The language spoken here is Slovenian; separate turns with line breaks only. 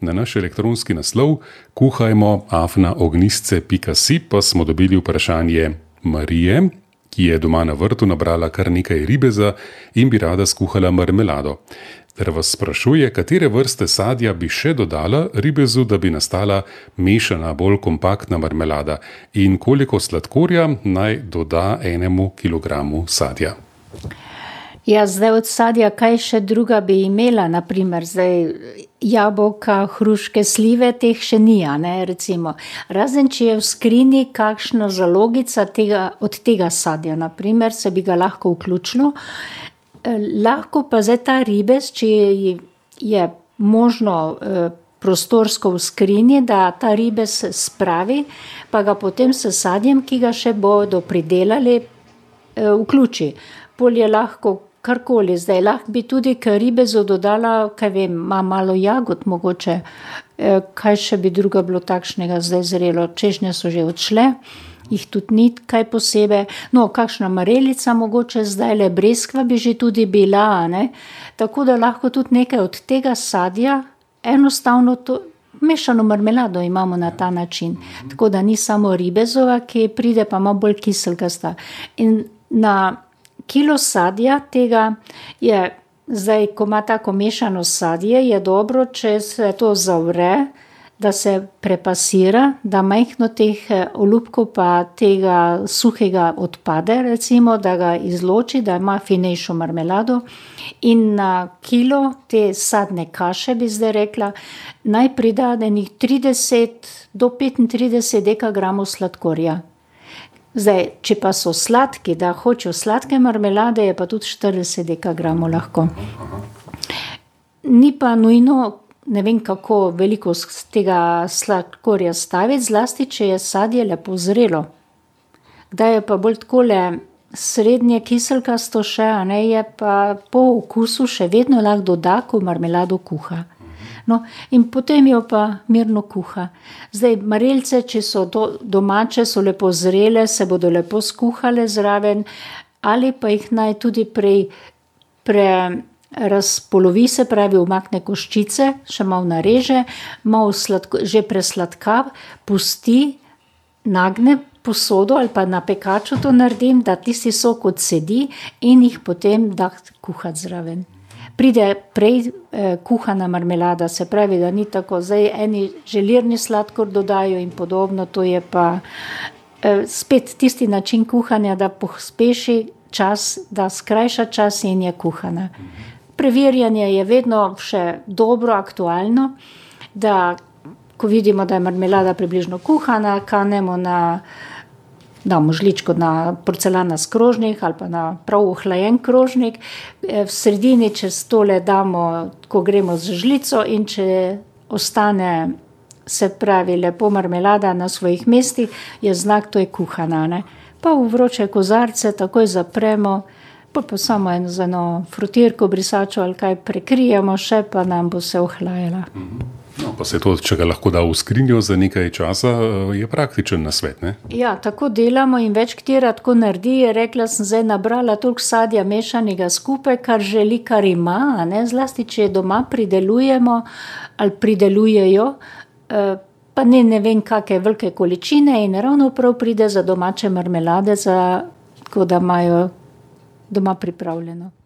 Na naš elektronski naslov kuhajmo@ognistce.si pa smo dobili vprašanje Marije, ki je doma na vrtu nabrala kar nekaj ribeza in bi rada skuhala marmelado. Ter vas sprašuje, katere vrste sadja bi še dodala ribezu, da bi nastala mešana, bolj kompaktna marmelada in koliko sladkorja naj doda 1 kilogramu sadja.
Ja, zdaj od sadja, kaj še druga bi imela, naprimer, zdaj jabolka, hruške, slive, teh še ni, ne, recimo. Razen, če je v skrinji kakšna zalogica od tega sadja, naprimer, se bi ga lahko vključilo. Lahko pa zdaj ta ribez, če je možno prostorsko v skrinji, da ta ribez spravi, pa ga potem s sadjem, ki ga še bodo pridelali, vključi. Pol je lahko karkoli, zdaj lahko bi tudi k ribezu dodala, kaj vem, malo jagod mogoče, kaj še bi druga bilo takšnega zdaj zrelo, češnje so že odšle, jih tudi ni kaj posebej, no, kakšna marelica mogoče zdajle, breskva bi že tudi bila, ne, tako da lahko tudi nekaj od tega sadja, enostavno to, mešano marmelado imamo na ta način, tako da ni samo ribezova, ki pride pa malo bolj kiselkasta. In na kilo sadja tega je, zdaj, ko ima tako mešano sadje, je dobro, če se to zavre, da se prepasira, da majhno teh olupkov pa tega suhega odpade, recimo, da ga izloči, da ima finejšo marmelado. In na kilo te sadne kaše, bi zdaj rekla, naj pridadenih 30 do 35 dekagramov sladkorja. Zdaj, če pa so sladki, da hočejo sladke marmelade, je pa tudi 40 dekagramov lahko. Ni pa nujno, ne vem kako veliko z tega sladkorja staviti, zlasti, če je sadje lepo zrelo. Kdaj je pa bolj takole srednje kiselkasto še, ne, je pa po okusu še vedno lahko doda, ko marmelado kuha. No, in potem jo pa mirno kuha. Zdaj, marelice, če so domače, so lepo zrele, se bodo lepo skuhale zraven, ali pa jih naj tudi razpolovi, se pravi, umakne koščice, še malo nareže, malo že presladka, pusti, nagne posodo ali pa na pekaču to naredim, da tisti sok odsedi in jih potem da kuhati zraven. Pride prej kuhana marmelada, se pravi, da ni tako, zdaj eni želirni sladkor dodajo in podobno, to je pa spet tisti način kuhanja, da pospeši čas, da skrajša čas in je kuhana. Preverjanje je vedno še dobro, aktualno, da ko vidimo, da je marmelada približno kuhana, kanemo damo žličko na porcelanast krožnik ali pa na prav ohlajen krožnik, v sredini čez tole damo, ko gremo z žlico, in če ostane, se pravi, lepo marmelada na svojih mestih, je znak, to je kuhana, ne. Pa v vroče kozarce takoj zapremo, pa samo z eno frutirko, brisačo ali kaj prekrijemo še, pa nam bo se ohlajala.
No, pa se to, če ga lahko da v skrinjo za nekaj časa, je praktičen nasvet, ne?
Ja, tako delamo in več katera tako naredi, je rekla, sem zdaj nabrala toliko sadja mešanega skupaj, kar želi, kar ima, ne, zlasti, če doma pridelujemo ali pridelujejo, pa ne vem, kakšne velike količine in ravno prav pride za domače marmelade, tako da imajo doma pripravljeno.